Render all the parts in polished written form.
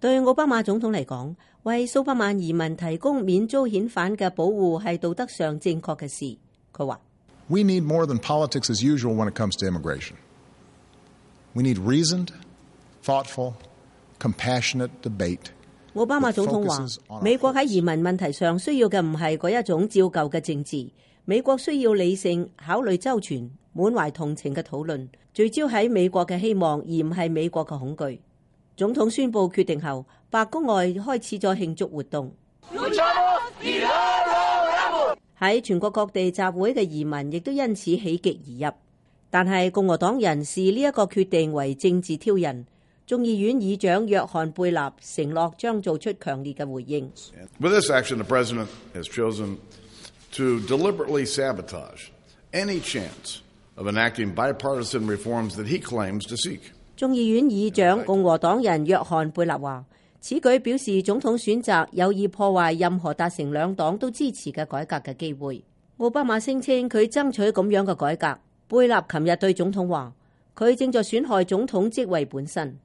對奧巴馬總統嚟講，為數百萬移民提供免遭遣返嘅保護係道德上正確嘅事。佢話：We need more than politics as usual when it comes to immigration. We need reasoned, thoughtful, compassionate debate. 奧巴馬總統話：美國喺移民問題上需要嘅唔係嗰一種照舊嘅政治，美國需要理性、考慮周全、滿懷同情嘅討論，聚焦喺美國嘅希望，而唔係美國嘅恐懼。總統宣布決定後，白宮外開始咗慶祝活動。喺全國各地集會嘅移民亦都因此喜極而入，但係共和黨人視呢一個決定為政治挑釁。眾議院議長約翰貝納承諾將做出強烈嘅回應。With this action, the president has chosen to deliberately sabotage any chance of enacting bipartisan reforms that he claims to seek. 眾議院議長共和黨人約翰貝納話：此舉表示總統選擇有意破壞任何達成兩黨都支持嘅改革嘅機會。奧巴馬聲稱佢爭取咁樣嘅改革。貝納琴日對總統話：佢正在損害總統職位本身。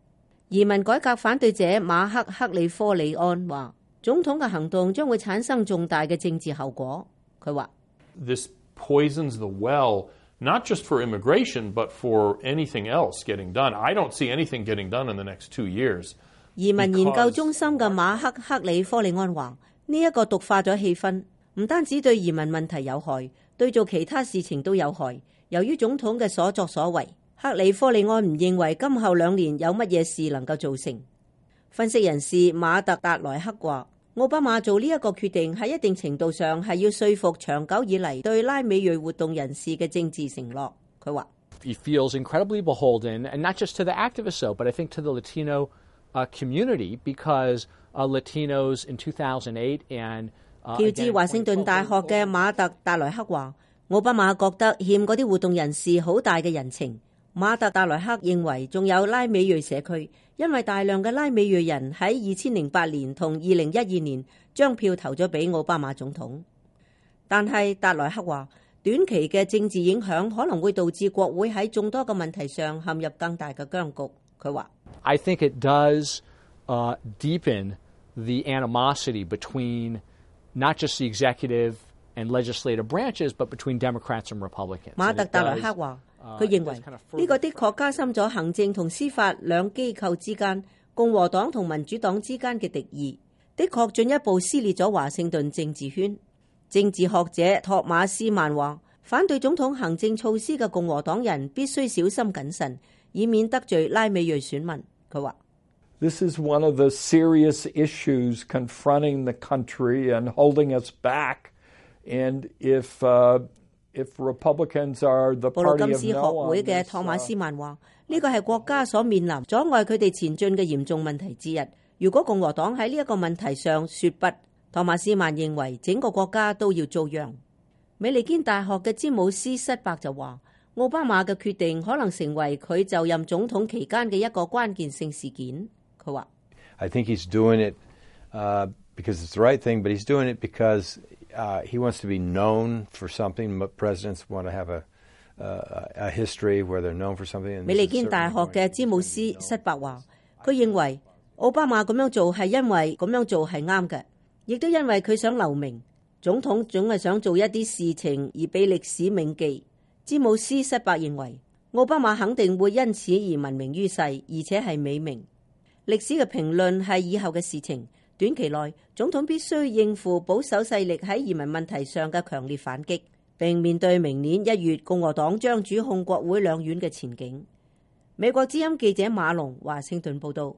移民改革反對者馬克·克里科里安話：總統嘅行動將會產生重大嘅政治後果。佢話：This poisons the well, not just for immigration, but for anything else getting done. I don't see anything getting done in the next 2 years. 移民研究中心嘅馬克·克里科里安話：呢一個毒化咗氣氛，唔單止對移民問題有害，對做其他事情都有害。由於總統嘅所作所為，克里科里安唔認為今後2年有乜嘢事能夠做成。分析人士馬特達萊克話：奧巴馬做呢一個決定喺一定程度上係要說服長久以嚟對拉美裔活動人士嘅政治承諾。佢話：He feels incredibly beholden, and not just to the activists, so, but I think to the Latino community, because Latinos in 2008 and 喬治華盛頓大學嘅馬特達萊克話：奧巴馬覺得欠嗰啲活動人士好大嘅人情。馬特達萊克認為仲有拉美裔社區，因為大量嘅拉美裔人喺2008年同2012年將票投咗俾奧巴馬總統。但係達萊克話，短期嘅政治影響可能會導致國會喺眾多個問題上陷入更大嘅僵局。佢話：I think it does deepen the animosity between not just the executive and legislative branches, but between Democrats and Republicans. 馬特達萊克話：佢認為呢個的確加深咗行政同司法兩機構之間、共和黨同民主黨之間嘅敵意，的確進一步撕裂咗華盛頓政治圈。政治學者托馬斯曼話：反對總統行政措施嘅共和黨人必須小心謹慎，以免得罪拉美裔選民。佢話：This is one of the serious issues confronting the country and holding us back. And if Republicans are the party of no one, 布魯金斯學會嘅托馬斯曼話：呢個係國家所面臨阻礙佢哋前進嘅嚴重問題之一。如果共和黨喺呢一個問題上說不，托馬斯曼認為整個國家都要遭殃。美利堅大學嘅詹姆斯塞伯就話：奧巴馬嘅決定可能成為佢就任總統期間嘅一個關鍵性事件。佢話：I think he's doing it because it's the right thing, but he's doing it because he wants to be known for something. Presidents want to have a history where they're known for something. 美利堅大學嘅詹姆斯塞伯話：佢認為奧巴馬咁樣做係因為咁樣做係啱嘅，亦都因為佢想留名。總統總係想做一啲事情而被歷史銘記。詹姆斯塞伯認為奧巴馬肯定會因此而聞名於世，而且係美名。歷史嘅評論係以後嘅事情。短期內，總統必須應付保守勢力喺移民問題上嘅強烈反擊，並面對明年1月共和黨將主控國會兩院嘅前景。美國之音記者馬龍華盛頓報道。